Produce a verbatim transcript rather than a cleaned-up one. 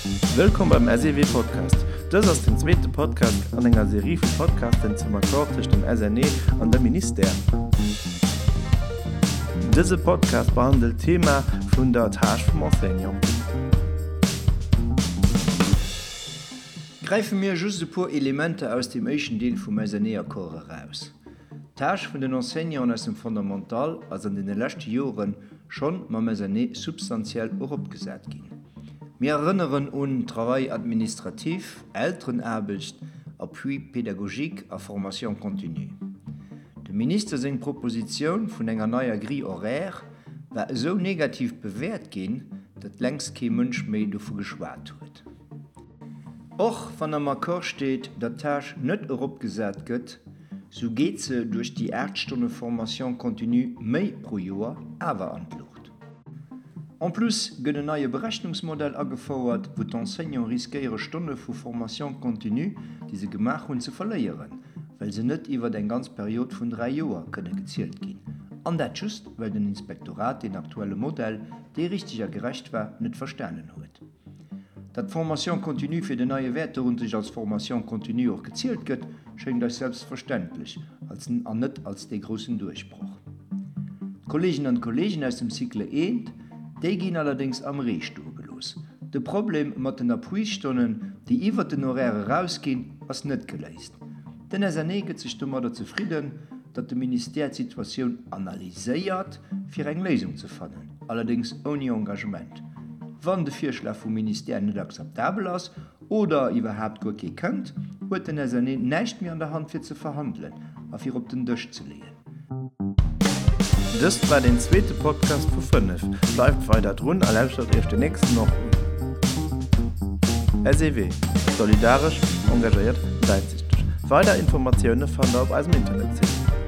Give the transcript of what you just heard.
Wëllkomm beim SEW Podcast. Dës ass den zweete Podcast an enger Serie vu Podcasten zum Accord tëscht dem SNE an dem Ministère. Dëse Podcast behandelt d'Thema vun der Tâche vum Enseignant. Gräife mir just e puer Elementer aus dem éischten Deel vum SNE-Accord eraus. D'Tâche vun den Enseignanten aus dem Fondamental ass an deene leschte Jore schonn mam SNE substantiell eropgesat ginn. Mir erënneren un Travail administratif, Elterenaarbecht, Appui pédagogique a Formation continue. Dem Minister seng Propositioun vun enger neier Grille horaire war esou negativ bewäert ginn, datt längst kee Mënsch méi dovu geschwat huet. Och wann am Accord steet, datt d'Tâche net eropgesat gëtt, sou geet se duerch déi aacht Stonne Formation continue méi pro Joer awer an d'Luucht. En plus gëtt en neie Berechnungsmodell agefouert, wou d'Enseignante riskéiere Stonne vu Formation continue, déi se gemaach hunn, ze verléieren, well se net iwwert eng ganz Period vun dräi Joer kënne gezielt ginn. An dat just, well den Inspektorat deen aktuelle Modell, dee richteg a gerecht war, net verstanen huet. Datt d'Formation continue fir den neie Wäerteunterricht als Formation continue och gezielt gëtt, schéngt eis selbstverständlech als an net als dee groussen Duerchbroch. D'Kolleeginnen an d'Kolleegen aus dem Cycle eent, déi ginn allerdéngs am Ree stoe gelooss. De Problem mat den Appuisstonnen, déi iwwert den Horaire erausginn, ass net geléist. Den SNE gëtt sech domadder zefridden, datt de Ministère d'Situatioun analyséiert, fir eng Léisung ze fannen, allerdéngs ouni Engagement. Wann de Virschlag vum Ministère net akzeptabel ass oder iwwerhaapt guer kee kënnt, huet den SNE näischt méi an der Hand fir ze verhandelen a fir op den Dësch ze leeën. Dëst war den zweete Podcast vu fënnef. Bleift weider drun a lauschtert iech den nächsten och un. SEW, Solidaresch, engagéiert, wäitsichteg. Weider Informatioune fannt der op eisem Internetsite.